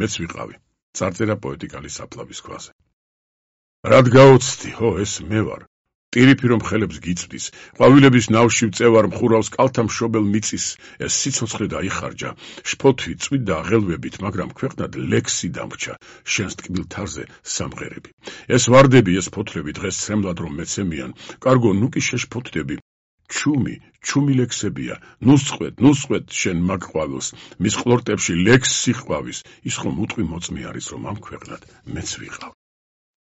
მეც ვიყავი. წარწერა პოეტიკალი საფლავის ქვაზე. რად გაოცდი, ხო, ეს მე ვარ. ტირიფი რომ ხელებს გიწვდის, ყვავილების ნავში ვწევარ მხურავს კალთა მშობელ მიწის, ეს სიცოცხლე დაიხარჯა, შფოთვი წვიდა აღელვებით, მაგრამ ქვეყნად ლექსი დამრჩა, შენს ტკბილ თარზე სამღერები. ეს ვარდები, ეს ფოთლები დღეს ცრემლად რომ მეცემიან, კარგო, ნუ კი შეშფოთდები. ჩუმი ლექსებია, ნუსწყვეთ შენ მაგ ყვავილს, მის ყლორტებში ლექსი ყვავის, ის ხომ უტყვი მოწმე არის, რომ ამ ქვეყნად მეც ვიყავ.